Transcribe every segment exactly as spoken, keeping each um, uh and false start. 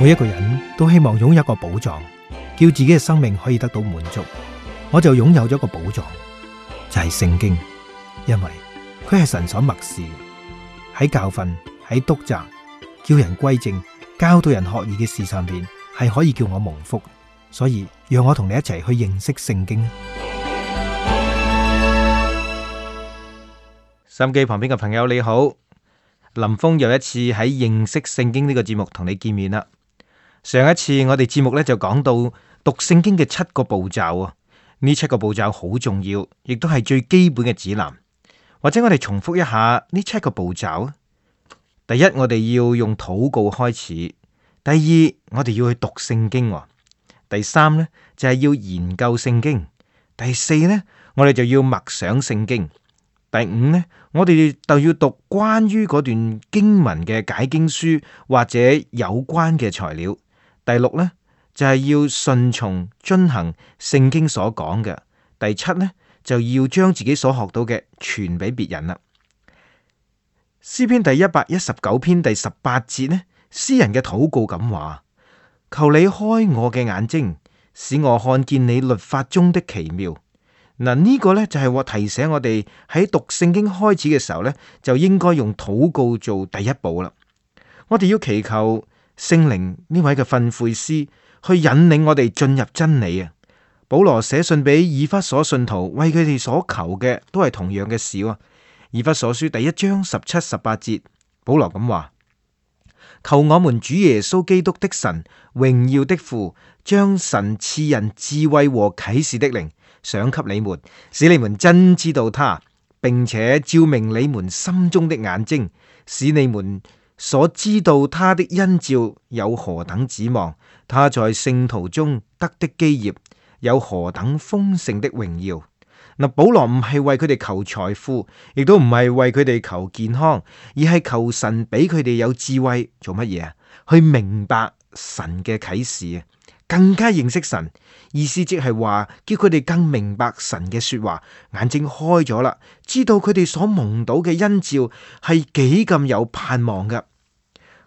每一個人都希望擁有一個寶藏，叫自己嘅生命可以得到滿足。我就擁有咗一個寶藏，就係聖經，因為佢係神所默示，喺教訓、喺督責、叫人歸正、教導人學義嘅事上邊，係可以叫我蒙福。所以讓我同你一齊去認識聖經。收音機旁邊嘅朋友你好，林峰又一次喺認識聖經呢個節目同你見面啦。上一次我哋節目咧就講到讀聖經嘅七個步驟啊，呢七個步驟好重要，亦都係最基本嘅指南。或者我哋重複一下呢七個步驟啊。第一，我哋要用禱告開始；第二，我哋要去讀聖經；第三呢，就係要研究聖經；第四呢，我哋就要默想聖經；第五呢，我哋就要讀關於嗰段經文嘅解經書或者有關嘅材料。第六呢，就係要順從遵行聖經所講嘅。第七呢，就要將自己所學到嘅傳俾別人啦。詩篇第一百一十九篇第十八節呢，詩人嘅禱告咁話：求你開我嘅眼睛，使我看見你律法中的奇妙。嗱，呢個呢，就係我提醒我哋喺讀聖經開始嘅時候呢，就應該用禱告做第一步啦。我哋要祈求聖靈呢位嘅訓誨師去引領我哋進入真理啊！保羅寫信俾以弗所信徒，為佢哋所求嘅都係同樣嘅事喎。以弗所書第一章十七、十八節，保羅咁話：求我們主耶穌基督的神，榮耀的父，將神賜人智慧和啟示的靈賞給你們，使你們真知道他，並且照明你們心中的眼睛，使你們所知道他的恩召有何等指望，他在聖徒中得的基業有何等豐盛的榮耀。嗱，保羅唔係為佢哋求財富，亦都唔係為佢哋求健康，而係求神俾佢哋有智慧，做乜嘢啊？去明白神嘅啟示啊，更加認識神。意思即係話，叫佢哋更明白神嘅說話，眼睛開咗啦，知道佢哋所蒙到嘅恩召係幾咁有盼望噶。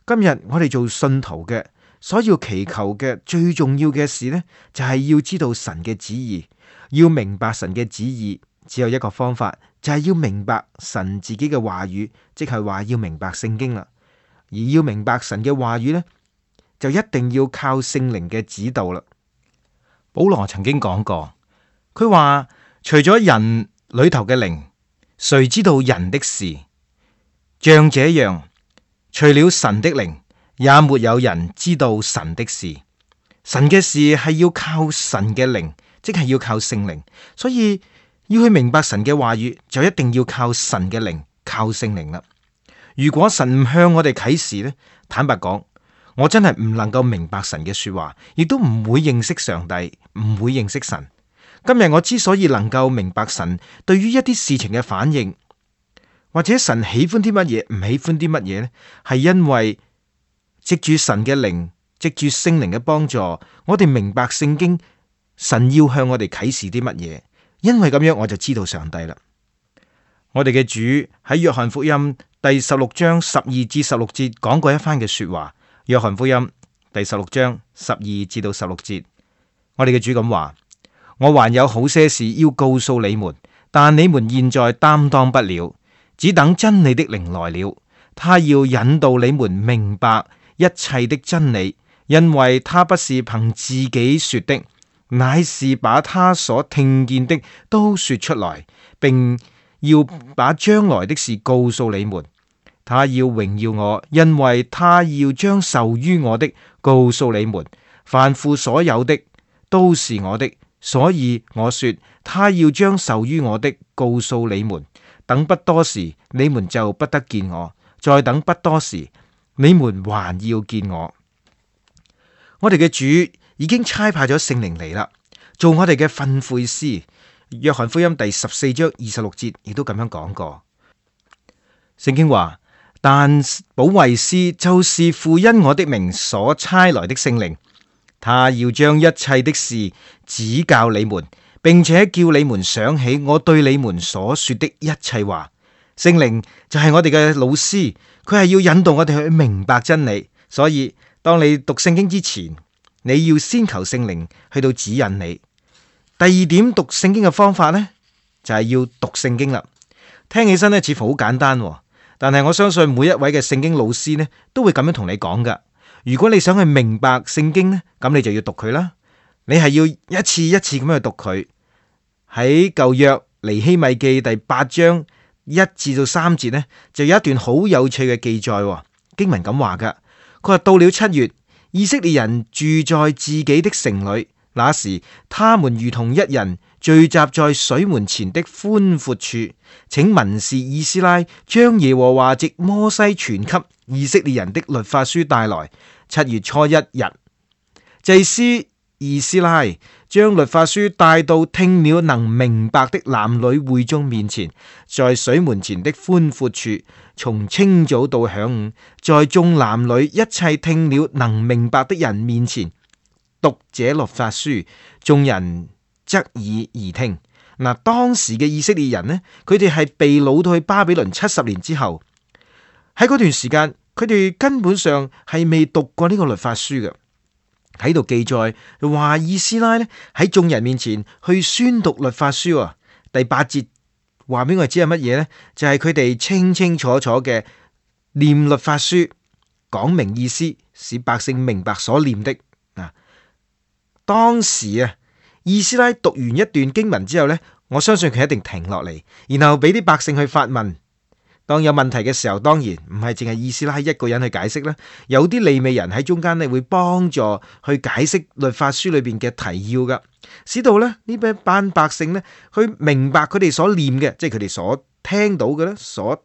今日我哋做信徒嘅，所要祈求嘅最重要嘅事呢，就係要知道神嘅旨意，要明白神嘅旨意，只有一個方法，就係要明白神自己嘅話語，即係話要明白聖經啦。而要明白神嘅話語呢，就一定要靠聖靈嘅指導啦。保羅曾經講過，佢話除咗人裏頭嘅靈，誰知道人的事？像這樣，除了神的靈，也沒有人知道神的事。神嘅事係要靠神嘅靈，即係要靠聖靈。所以要去明白神嘅話語，就一定要靠神嘅靈，靠聖靈啦。如果神唔向我哋啟示呢，坦白講，我真係唔能夠明白神嘅說話，亦都唔會認識上帝，唔會認識神。今日我之所以能夠明白神對於一啲事情嘅反應，或者神喜歡啲乜嘢，唔喜歡啲乜嘢呢，係因為藉住神嘅靈，藉住聖靈嘅幫助，我哋明白聖經，神要向我哋啟示啲乜嘢。因為咁樣，我就知道上帝啦。我哋嘅主喺約翰福音第十六章十二至十六節講過一番嘅說話。約翰福音第十六章十二至到十六節，我哋嘅主咁話：我還有好些事要告訴你們，但你們現在擔當不了，只等真理的靈來了，他要引導你們明白一切的真理，因為他不是憑自己說的，乃是把他所聽見的都說出來，並要把將來的事告訴你們。他要榮耀我，因為他要將受於我的告訴你們。凡父所有的都是我的，所以我說他要將受於我的告訴你們。等不多時，你們就不得見我；再等不多時，你們還要見我。我哋嘅主已經差派咗聖靈嚟啦，做我哋嘅訓誨師。約翰福音第十四章二十六節亦都咁樣講過。聖經話：但保惠師就是父因我的名所差來的聖靈，他要將一切的事指教你們，並且叫你們想起我對你們所說的一切話。聖靈就係我哋嘅老師，佢係要引導我哋去明白真理。所以當你讀聖經之前，你要先求聖靈去到指引你。第二點讀聖經嘅方法呢，就係要讀聖經啦。聽起身呢似乎好簡單，但係我相信每一位嘅聖經老師呢都會咁樣同你講噶。如果你想去明白聖經呢，咁你就要讀佢啦。你係要一次一次咁樣去讀佢。喺舊約尼希米記第八章一至到三節呢，就有一段好有趣嘅記載。經文咁話噶，佢話到了七月，以色列人住在自己的城裏，那時他們如同一人聚集在水門前的寬闊處，請文士以斯拉將耶和華藉摩西傳給以色列人的律法書帶來。七月初一日，祭司以斯拉將律法書帶到聽了能明白的男女會眾面前，在水門前的寬闊處，從清早到晌午，在眾男女一切聽了能明白的人面前讀這律法書，眾人側耳而聽。嗱，當時嘅以色列人呢，佢哋係被擄到去巴比倫七十年之後，喺嗰段時間，佢哋根本上係未讀過呢個律法書嘅。喺度記載話，以斯拉呢喺眾人面前去宣讀律法書啊。第八節話俾我哋知係乜嘢呢？就係佢哋清清楚楚嘅念律法書，講明意思，使百姓明白所念的。啊，當時啊，以斯拉讀完一段經文之後呢，我相信佢一定停落嚟，然後俾啲百姓去發問。當有問題嘅時候，當然唔係淨係以斯拉一個人去解釋啦，有啲利未人喺中間咧會幫助去解釋律法書裏邊嘅提要噶，使到咧呢班班百姓咧去明白佢哋所念嘅，即係佢哋所聽到嘅咧，所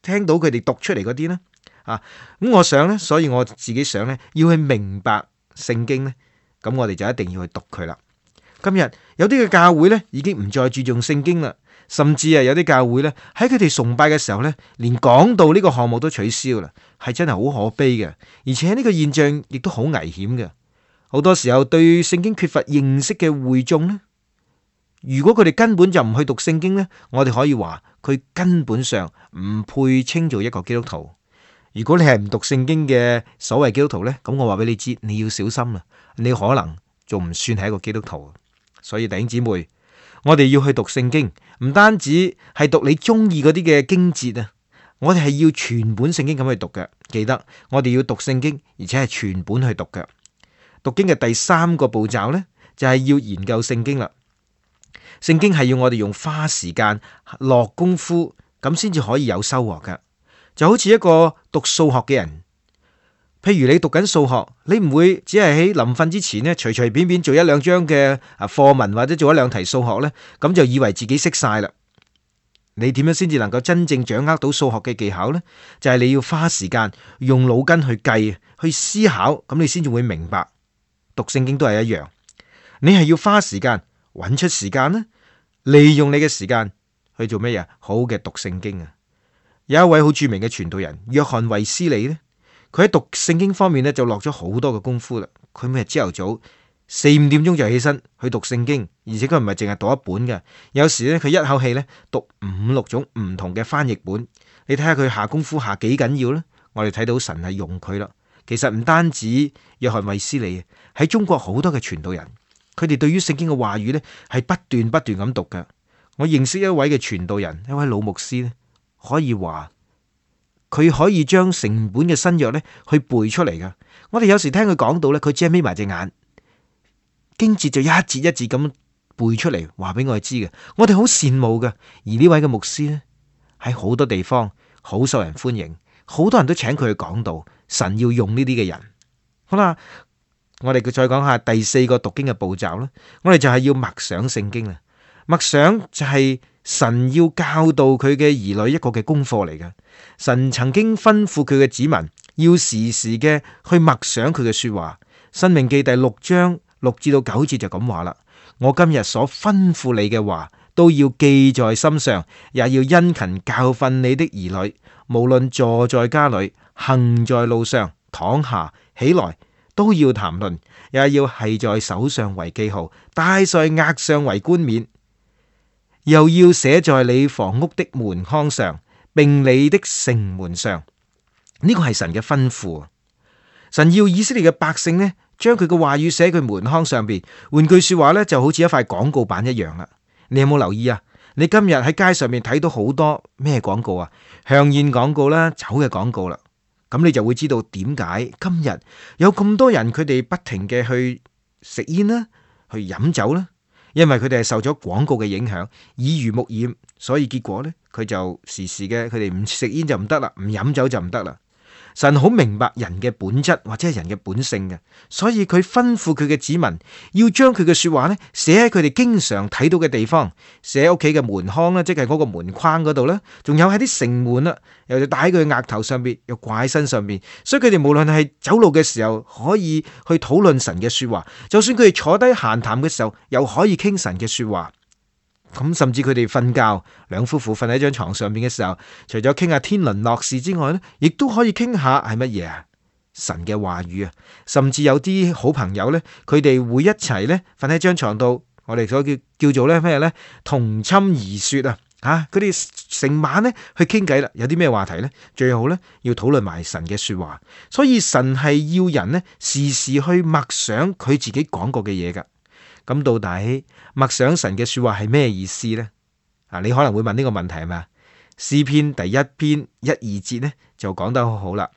聽到佢哋讀出嚟嗰啲咧啊。咁我想咧，所以我自己想咧，要去明白聖經咧，咁我哋就一定要去讀佢啦。今日有啲嘅教會咧已經唔再注重聖經啦。甚至啊，有啲教會咧喺佢哋崇拜嘅時候咧，連講道呢個項目都取消啦，係真係好可悲嘅。而且呢個現象亦都好危險嘅。好多時候對聖經缺乏認識嘅會眾呢，如果佢哋根本就唔去讀聖經呢，我哋可以話佢根本上唔配稱做一個基督徒。如果你係唔讀聖經嘅所謂基督徒呢，咁我話俾你知，你要小心啦，你可能仲唔算係一個基督徒。所以弟兄姊妹，我哋要去讀聖經，唔單止係讀你中意嗰啲嘅經節啊，我哋係要全本聖經咁去讀嘅。記得我哋要讀聖經，而且係全本去讀嘅。讀經嘅第三個步驟呢，就係要研究聖經啦。聖經係要我哋用花時間落功夫，咁先至可以有收穫㗎。就好似一個讀數學嘅人。譬如你讀緊數學，你唔會只係喺臨瞓之前呢，隨隨便便做一兩張嘅啊課文或者做一兩題數學呢，咁就以為自己識晒啦。你點樣先至能夠真正掌握到數學嘅技巧呢？就係你要花時間用腦筋去計、去思考，咁你先至會明白。讀聖經都係一樣，你係要花時間揾出時間呢，利用你嘅時間去做咩嘢？好嘅讀聖經啊！有一位好著名嘅傳道人約翰衛斯理呢。佢喺讀聖經方面咧就落咗好多嘅功夫啦。佢每日朝頭早四五點鐘就起身去讀聖經，而且佢唔係淨係讀一本嘅，有時咧佢一口氣咧讀五六種唔同嘅翻譯本。你睇下佢下功夫下幾緊要咧？我哋睇到神係用佢啦。其實唔單止約翰衛斯理，喺中國好多嘅傳道人，佢哋對於聖經嘅話語咧係不斷不斷咁讀嘅。我認識一位嘅傳道人，一位老牧師咧，可以話。佢可以將成本嘅新約咧去背出嚟噶。我哋有時聽佢講到咧，佢只係眯埋隻眼，經節就一節一節咁背出嚟，話俾我哋知嘅。我哋好羨慕嘅。而呢位嘅牧師咧，喺好多地方好受人歡迎，好多人都請佢去講道。神要用呢啲嘅人。好啦，我哋再講下第四個讀經嘅步驟啦。我哋就係要默想聖經啦。默想就係神要教導佢嘅兒女一個嘅功課嚟嘅。神曾經吩咐佢嘅子民要時時嘅去默想佢嘅說話。申命記第六章六至到九節就咁話啦：我今日所吩咐你嘅話都要記在心上，也要殷勤教訓你的兒女，無論坐在家裏、行在路上、躺下起來，都要談論，也要繫在手上為記號，戴在額上為冠冕，又要寫在你房屋的門框上，並你的城門上。呢個係神嘅吩咐。神要以色列嘅百姓呢，將佢嘅話語寫喺佢門框上邊。換句說話呢，就好似一塊廣告板一樣啦。你有冇留意啊？你今日喺街上面睇到好多咩廣告啊？香煙廣告啦，酒嘅廣告啦。咁你就會知道點解今日有咁多人佢哋不停嘅去食煙啦，去飲酒啦。因為佢哋係受咗廣告嘅影響，耳濡目染，所以結果呢，佢就時時嘅佢哋唔食煙就唔得啦，唔飲酒就唔得啦。神好明白人嘅本質或者係人嘅本性嘅，所以佢吩咐佢嘅子民要將佢嘅說話呢寫喺佢哋經常睇到嘅地方，寫喺屋企嘅門框啦，即係嗰個門框嗰度啦，仲有喺啲城門啦，又戴喺佢額頭上邊，又掛喺身上邊。所以佢哋無論係走路嘅時候可以去討論神嘅說話，就算佢哋坐低閒談嘅時候，又可以傾神嘅說話。咁甚至佢哋瞓覺，兩夫婦瞓喺張床上邊嘅時候，除咗傾下天倫樂事之外呢，亦都可以傾下係乜嘢啊？神嘅話語啊！甚至有啲好朋友呢，佢哋會一齊呢瞓喺張床度，我哋所叫叫做咧咩呢？同寢而說啊！吓，佢哋成晚呢去傾偈啦，有啲咩話題呢？最好呢要討論埋神嘅說話，所以神係要人呢時時去默想佢自己講過嘅嘢噶。咁到底默想神嘅說話係咩意思呢？啊，你可能會問呢個問題係咪啊？詩篇第一篇一二節呢就講得好好啦。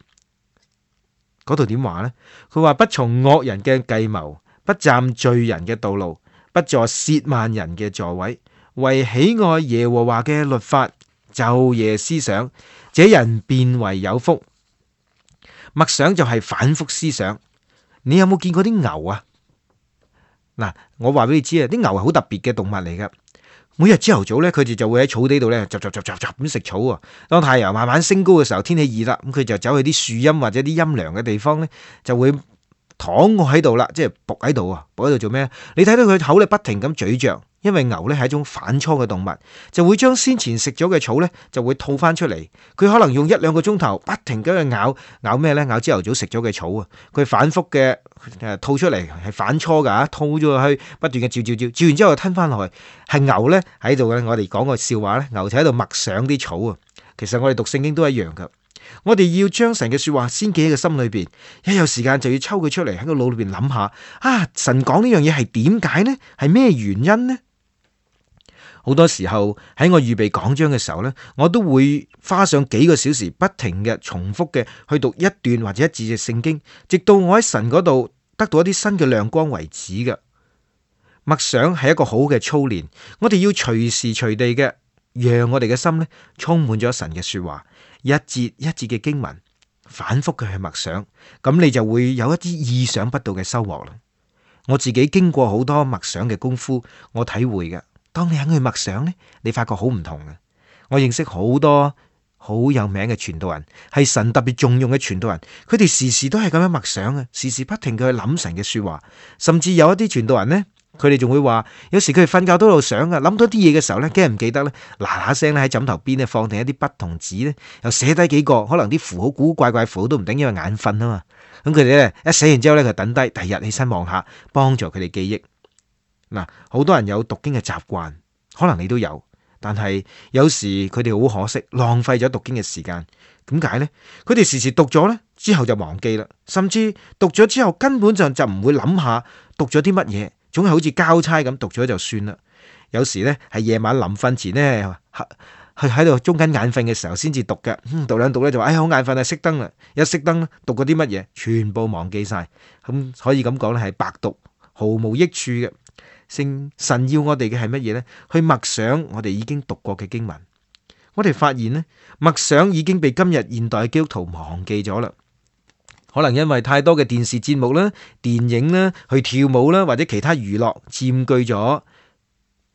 嗰度點話呢？佢話不從惡人嘅計謀，不站罪人嘅道路，不坐褻慢人嘅座位，為喜愛耶和華嘅律法，晝夜思想，這人便為有福。默想就係反覆思想。你有冇見過啲牛啊？嗱，我話俾你知啊，啲牛係好特別嘅動物嚟噶。每日朝頭早咧，佢哋就會喺草地度咧，雜雜雜雜雜咁食草啊。當太陽慢慢升高嘅時候，天氣熱啦，咁佢就走去啲樹蔭或者啲陰涼嘅地方咧，就會躺臥喺度啦，即係伏喺度啊，伏喺度做咩？你睇到佢口咧不停咁咀嚼，因為牛咧係一種反芻嘅動物，就會將先前食咗嘅草咧就會吐翻出嚟。佢可能用一兩個鐘頭不停咁去咬咬咩咧？咬朝頭早食咗嘅草啊！佢反覆嘅誒吐出嚟係反芻噶，吐咗去不斷嘅嚼嚼嚼，嚼完之後又吞翻落去。係牛咧喺度嘅，我哋講個笑話咧，牛就喺度默想啲草啊。其實我哋讀聖經都一樣噶。我哋要將神嘅說話先記喺個心裏邊，一有時間就要抽佢出嚟喺個腦裏邊諗下啊！神講呢樣嘢係點解呢？係咩原因呢？好多時候喺我預備講章嘅時候呢，我都會花上幾個小時不停嘅重複嘅去讀一段或者一節嘅聖經，直到我喺神嗰度得到一啲新嘅亮光為止嘅。默想係一個好嘅操練，我哋要隨時隨地嘅讓我哋嘅心呢充滿咗神嘅說話。一節一節嘅經文，反覆嘅去默想，咁你就會有一啲意想不到嘅收穫啦。我自己經過好多默想嘅功夫，我體會嘅，當你肯去默想呢，你發覺好唔同嘅。我認識好多好有名嘅傳道人，係神特別重用嘅傳道人，佢哋時時都係咁樣默想嘅，時時不停嘅去諗神嘅說話，甚至有一啲傳道人呢。佢哋仲會話，有時佢哋瞓覺都喺度想啊，諗到啲嘢嘅時候咧，驚唔記得咧，嗱嗱聲咧喺枕頭邊咧放定一啲筆同紙咧，又寫低幾個，可能啲符號古古怪怪符號都唔定，因為眼瞓啊嘛。咁佢哋咧一寫完之後咧，就等低，第二日起身望下，幫助佢哋記憶。嗱，好多人有讀經嘅習慣，可能你都有，但係有時佢哋好可惜，浪費咗讀經嘅時間。點解呢？佢哋時時讀咗咧，之後就忘記啦，甚至讀咗之後根本就就唔會諗下讀咗啲乜嘢。總係好似交差咁讀咗就算啦。有時呢係夜晚臨瞓前呢，去喺度中間眼瞓嘅時候先至讀嘅。嗯，讀兩讀咧就話，哎呀好眼瞓啊，熄燈啦。一熄燈咧，讀過啲乜嘢，全部忘記晒。咁可以咁講咧，係白讀，毫無益處嘅。聖神要我哋嘅係乜嘢呢？去默想我哋已經讀過嘅經文。我哋發現呢，默想已經被今日現代基督徒忘記咗啦。可能因為太多嘅電視節目啦、電影啦、去跳舞啦，或者其他娛樂佔據咗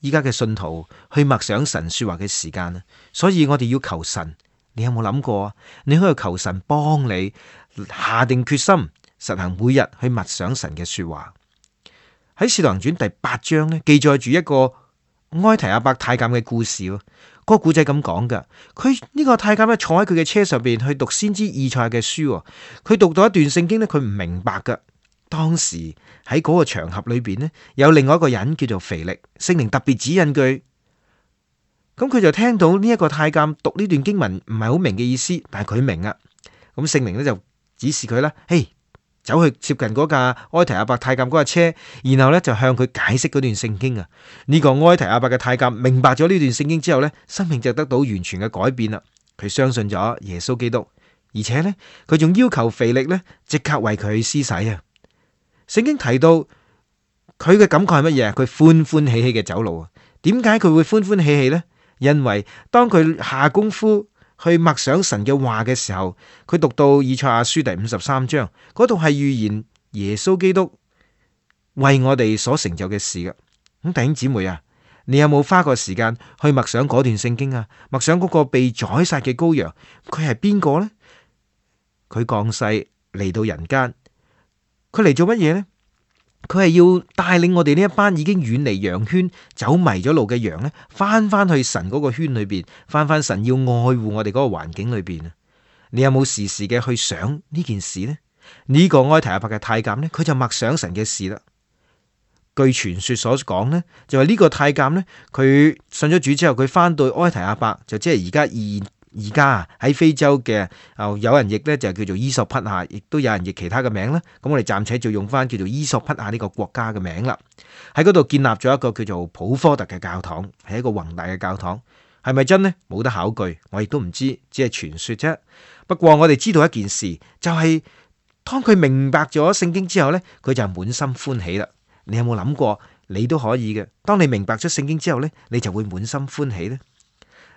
依家嘅信徒去默想神說話嘅時間啦。所以我哋要求神，你有冇諗過啊？你可以求神幫你下定決心，實行每日去默想神嘅說話。喺《使徒行傳》第八章呢，記載住一個埃提阿伯太監嘅故事。嗰個古仔咁講噶，佢呢個太監咧坐喺佢嘅車上邊去讀先知以賽亞嘅書，佢讀到一段聖經咧，佢唔明白噶。當時喺嗰個場合裏邊咧，有另外一個人叫做腓力，聖靈特別指引佢，咁佢就聽到呢一個太監讀呢段經文唔係好明嘅意思，但係佢明啊。咁聖靈咧就指示佢啦，嘿，走去接近嗰架埃提阿伯太監嗰架車，然後咧就向佢解釋嗰段聖經啊。呢個埃提阿伯嘅太監明白咗呢段聖經之後咧，生命就得到完全嘅改變啦。佢相信咗耶穌基督，而且咧佢仲要求腓力咧即刻為佢施洗啊。聖經提到佢嘅感覺係乜嘢？佢歡歡喜喜嘅走路啊。點解佢會歡歡喜喜呢？因為當佢下功夫去默想神嘅話嘅時候，佢讀到以賽亞書第五十三章，嗰度係預言耶穌基督為我哋所成就嘅事嘅。咁弟兄姊妹啊，你有冇花過時間去默想嗰段聖經啊？默想嗰個被宰殺嘅羔羊，佢係邊個呢？佢降世嚟到人間，佢嚟做乜嘢呢？佢係要帶領我哋呢一班已經遠離羊圈、走迷咗路嘅羊呢，翻翻去神嗰個圈裏邊，翻翻神要愛護我哋嗰個環境裏邊啊！你有冇時時嘅去想呢件事呢？呢、這個埃提阿伯嘅太監呢，佢就默想神嘅事啦。據傳說所講呢，就話呢個太監呢，佢信咗主之後，佢翻到埃提阿伯，就即係而家而而家啊喺非洲嘅，啊有人譯呢就叫做伊索匹亞，亦都有人譯其他嘅名啦。咁我哋暫且就用翻叫做伊索匹亞呢個國家嘅名啦。喺嗰度建立咗一個叫做普科特嘅教堂，係一個宏大嘅教堂，係咪真呢？冇得考據，我亦都唔知，只係傳說啫。不過我哋知道一件事，就係、是、當佢明白咗聖經之後呢，佢就滿心歡喜啦。你有冇諗過，你都可以嘅？當你明白咗聖經之後呢，你就會滿心歡喜呢。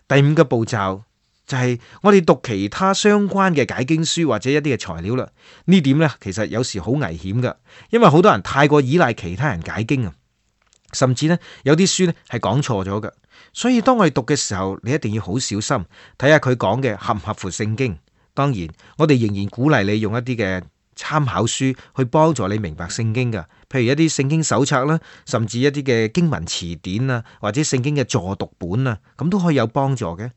第五個步驟就係我哋讀其他相關嘅解經書或者一啲嘅材料啦。呢點呢，其實有時好危險噶，因為好多人太過依賴其他人解經啊，甚至呢，有啲書呢係講錯咗噶。所以當我哋讀嘅時候，你一定要好小心，睇下佢講嘅合唔合乎聖經。當然，我哋仍然鼓勵你用一啲嘅參考書去幫助你明白聖經噶，譬如一啲聖經手冊啦，甚至一啲嘅經文詞典啊，或者聖經嘅助讀本啊，咁都可以有幫助嘅。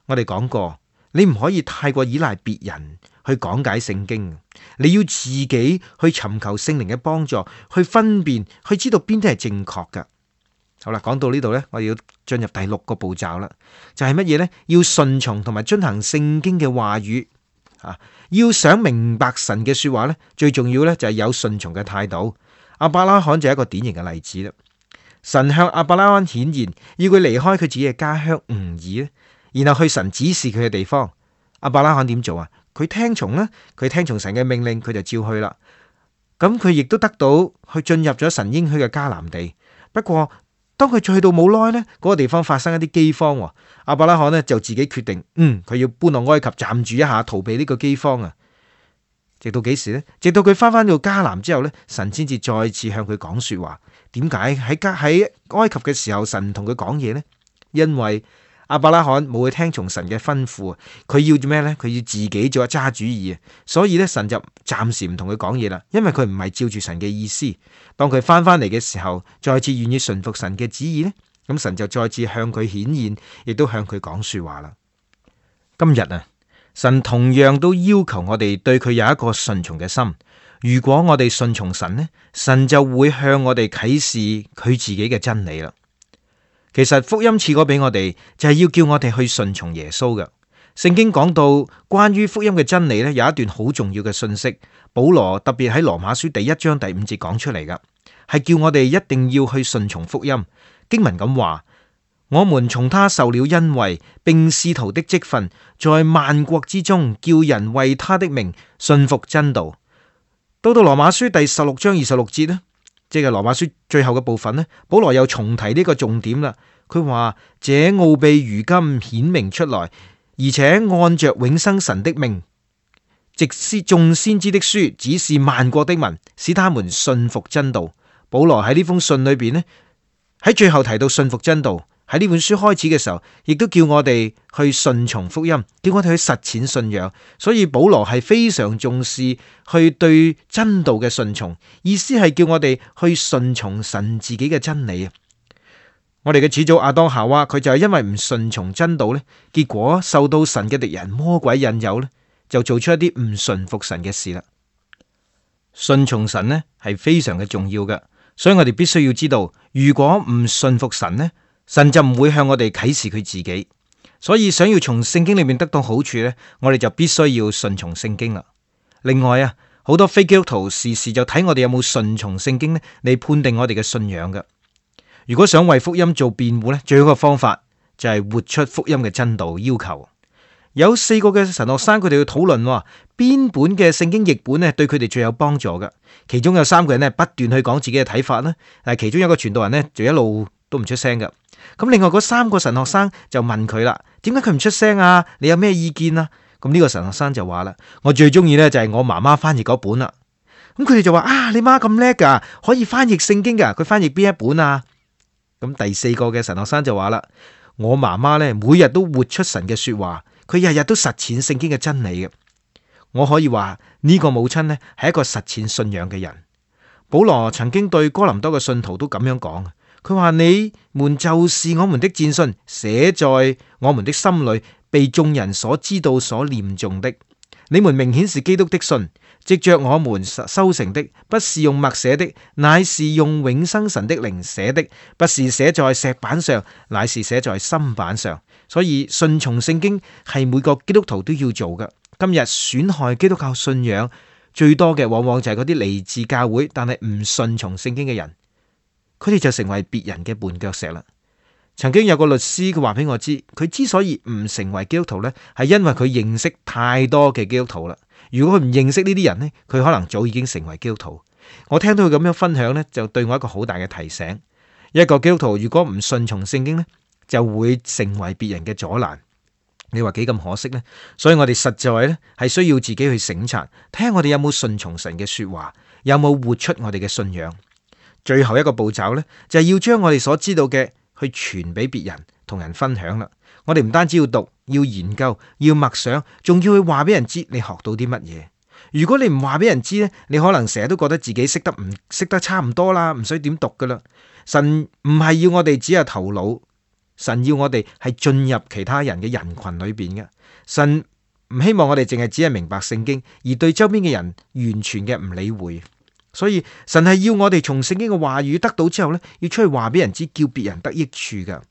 我哋講過，你唔可以太過依賴別人去講解聖經，你要自己去尋求聖靈嘅幫助，去分辨，去知道邊啲係正確噶。好啦，講到呢度呢，我哋要進入第六個步驟啦，就係乜嘢呢？要順從同埋遵行聖經嘅話語啊！要想明白神嘅說話呢，最重要呢就係有順從嘅態度。亞伯拉罕就係一個典型嘅例子啦。神向亞伯拉罕顯現，要佢離開佢自己嘅家鄉吾爾，然後去神指示佢嘅地方。亞伯拉罕點做啊？佢聽從啦，佢聽從神嘅命令，佢就照去啦。咁佢亦都得到去進入咗神應許嘅迦南地。不過當佢去到冇耐呢，嗰個地方發生一啲饑荒，亞伯拉罕呢就自己決定，嗯，佢要搬落埃及暫住一下，逃避呢個饑荒啊。直到幾時呢？直到佢翻返到迦南之後呢，神先至再次向佢講說話。點解喺加喺埃及嘅時候，神唔同佢講嘢呢？因為亞伯拉罕冇去聽從神嘅吩咐，佢要做咩呢？佢要自己做揸主意啊！所以咧，神就暫時唔同佢講嘢啦，因為佢唔係照住神嘅意思。當佢翻返嚟嘅時候，再次願意順服神嘅旨意呢，咁神就再次向佢顯現，亦都向佢講說話啦。今日啊，神同樣都要求我哋對佢有一個順從嘅心。如果我哋順從神呢，神就會向我哋啟示佢自己嘅真理啦。其實福音賜過俾我哋，就係要叫我哋去順從耶穌嘅。聖經講到關於福音嘅真理呢，有一段好重要嘅信息。保羅特別喺羅馬書第一章第五節講出嚟噶，係叫我哋一定要去順從福音。經文咁話：我們從他受了恩惠，並使徒的職分，在萬國之中叫人為他的名信服真道。到到羅馬書第十六章二十六節呢，即係羅馬書最後嘅部分呢，保羅又重提呢個重點啦。佢話：這奧秘如今顯明出來，而且按着永生神的命，藉眾先知的書指示萬國的民，使他們信服真道。保羅喺呢封信裏邊呢，喺最後提到信服真道。喺呢本書開始嘅時候，亦都叫我哋去順從福音，叫我哋去實踐信仰。所以保羅係非常重視去對真道嘅順從，意思係叫我哋去順從神自己嘅真理啊！我哋嘅始祖亞當夏娃，佢就係因為唔順從真道呢，結果受到神嘅敵人魔鬼引誘呢，就做出一啲唔順服神嘅事啦。順從神呢係非常嘅重要嘅，所以我哋必須要知道，如果唔順服神呢，神就唔會向我哋啟示佢自己。所以想要從聖經裏面得到好處呢，我哋就必須要順從聖經啦。另外啊，好多非基督徒時時就睇我哋有冇順從聖經呢，嚟判定我哋嘅信仰嘅。如果想為福音做辯護呢，最好嘅方法就係活出福音嘅真道要求。有四個嘅神學生，佢哋去討論邊本嘅聖經譯本呢對佢哋最有幫助嘅。其中有三個人呢不斷去講自己嘅睇法啦，但係其中有一個傳道人呢就一路都唔出聲嘅。咁另外嗰三個神學生就問佢啦：點解佢唔出聲啊？你有咩意見啊？咁呢個神學生就話啦：我最中意呢就係我媽媽翻譯嗰本啦。咁佢哋就話：啊，你媽咁叻噶，可以翻譯聖經噶，佢翻譯邊一本啊？咁第四個嘅神學生就話啦：我媽媽呢每日都活出神嘅說話。佢日日都實踐聖經嘅真理嘅，我可以話呢個母親呢係一個實踐信仰嘅人。保羅曾經對哥林多嘅信徒都咁樣講，佢話：你們就是我們的薦信，寫在我們的心裏，被眾人所知道、所念誦的。你們明顯是基督的信，藉着我們修成的，不是用墨寫的，乃是用永生神的靈寫的，不是寫在石板上，乃是寫在心板上。所以順從聖經係每個基督徒都要做嘅。今日損害基督教信仰最多嘅，往往就係嗰啲嚟自教會但係唔順從聖經嘅人，佢哋就成為別人嘅絆腳石啦。曾經有個律師佢話俾我知，佢之所以唔成為基督徒呢，係因為佢認識太多嘅基督徒啦。如果佢唔認識呢啲人呢，佢可能早已經成為基督徒。我聽到佢咁樣分享呢，就對我一個好大嘅提醒。一個基督徒如果唔順從聖經呢，就會成為別人嘅阻攔。你話幾咁可惜呢？所以我哋實在呢係需要自己去省察，睇下我哋有冇順從神嘅說話，有冇活出我哋嘅信仰。最後一個步驟呢，就係要將我哋所知道嘅去傳俾別人，同人分享啦。我哋唔單止要讀，要研究，要默想，仲要去話俾人知你學到啲乜嘢。如果你唔話俾人知呢，你可能成日都覺得自己識得唔識得差唔多啦，唔使點讀噶啦。神唔係要我哋只有頭腦。神要我哋係進入其他人嘅人群裏邊嘅。神唔希望我哋淨係只係明白聖經，而對周邊嘅人完全嘅唔理會。所以神係要我哋從聖經嘅話語得到之後呢，要出去話俾人知，叫別人得益處噶。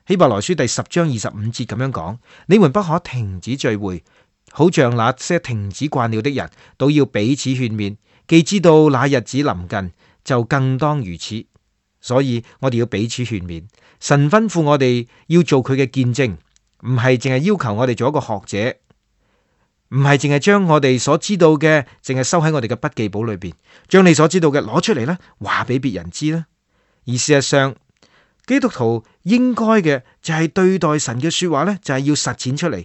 希伯來書第十章二十五節咁樣講：你們不可停止聚會，好像那些停止慣了的人，都要彼此勸勉。既知道那日子臨近，就更當如此。所以我哋要彼此勸勉。神吩咐我哋要做佢嘅見證，唔係淨係要求我哋做一個學者，唔係淨係將我哋所知道嘅淨係收喺我哋嘅筆記簿裏邊，將你所知道嘅攞出嚟啦，話俾別人知啦。而事實上，基督徒應該嘅就係對待神嘅說話呢，就係要實踐出嚟。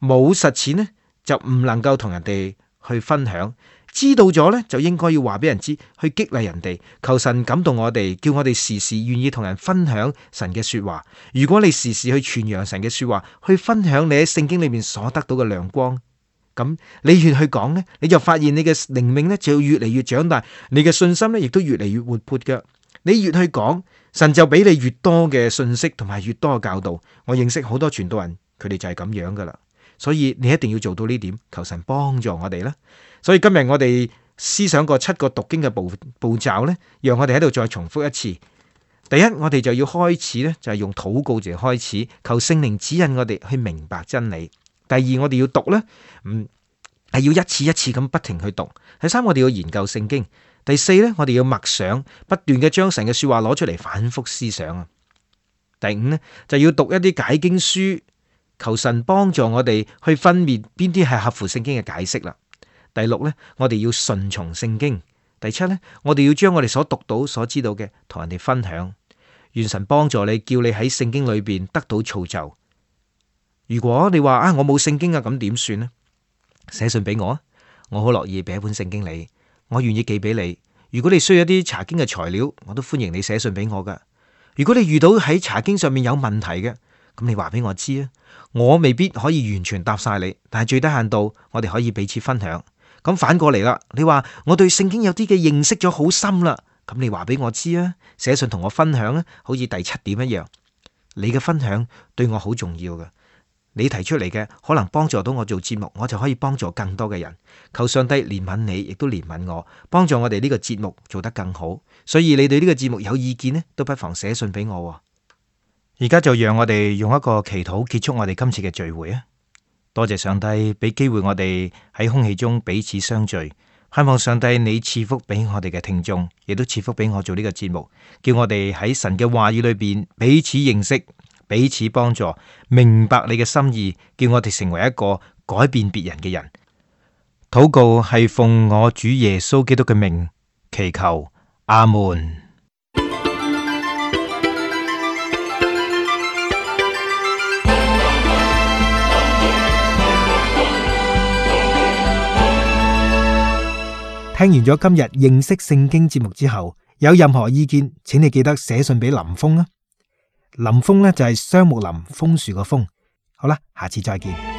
冇實踐呢，就唔能夠同人哋去分享。知道咗呢，就應該要話俾人知，去激勵人哋。求神感動我哋，叫我哋時時願意同人分享神嘅說話。如果你時時去傳揚神嘅說話，去分享你喺聖經裏面所得到嘅亮光，咁你越去講呢，你就發現你嘅靈命呢就越嚟越長大，你嘅信心呢亦都越嚟越活潑㗎。你越去講，神就俾你越多嘅信息同埋越多嘅教導。我認識好多傳道人，佢哋就係咁樣噶啦。所以你一定要做到呢點，求神幫助我哋啦。所以今日我哋思想過七個讀經嘅步步驟呢，讓我哋喺度再重複一次。第一，我哋就要開始呢，就係用禱告嚟開始，求聖靈指引我哋去明白真理。第二，我哋要讀呢，嗯，係要一次一次咁不停去讀。第三，我哋要研究聖經。第四呢，我哋要默想，不斷嘅將神嘅說話攞出嚟反覆思想啊。第五呢，就要讀一啲解經書，求神幫助我哋去分辨邊啲係合乎聖經嘅解釋啦。第六呢，我哋要順從聖經。第七呢，我哋要將我哋所讀到、所知道嘅同人哋分享。願神幫助你，叫你喺聖經裏邊得到造就。如果你話啊，我冇聖經啊，咁點算呢？寫信俾我啊，我好樂意俾一本聖經你，我願意寄俾你。如果你需要一啲查經嘅材料，我都歡迎你寫信俾我噶。如果你遇到喺查經上面有問題嘅，咁你話俾我知啊。我未必可以完全答晒你，但係最低限度我哋可以彼此分享。咁反過嚟啦，你話我對聖經有啲嘅認識咗好深啦，咁你話俾我知啊，寫信同我分享啊，好似第七點一樣，你嘅分享對我好重要㗎。你提出嚟嘅可能幫助到我做節目，我就可以幫助更多嘅人。求上帝憐憫你，亦都憐憫我，幫助我哋呢個節目做得更好。所以你對呢個節目有意見呢，都不妨寫信俾我。而家就讓我哋用一個祈禱結束我哋今次嘅聚會啊！多謝上帝俾機會我哋喺空氣中彼此相聚，盼望上帝你賜福俾我哋嘅聽眾，亦都賜福俾我做呢個節目，叫我哋喺神嘅話語裏邊彼此認識、彼此幫助，明白你嘅心意，叫我哋成為一個改變別人嘅人。禱告係奉我主耶穌基督嘅名祈求，阿門。聽完咗今日認識聖經節目之後，有任何意見，請你記得寫信俾林峰啊。林峰呢就係雙木林楓樹個楓。好啦，下次再見。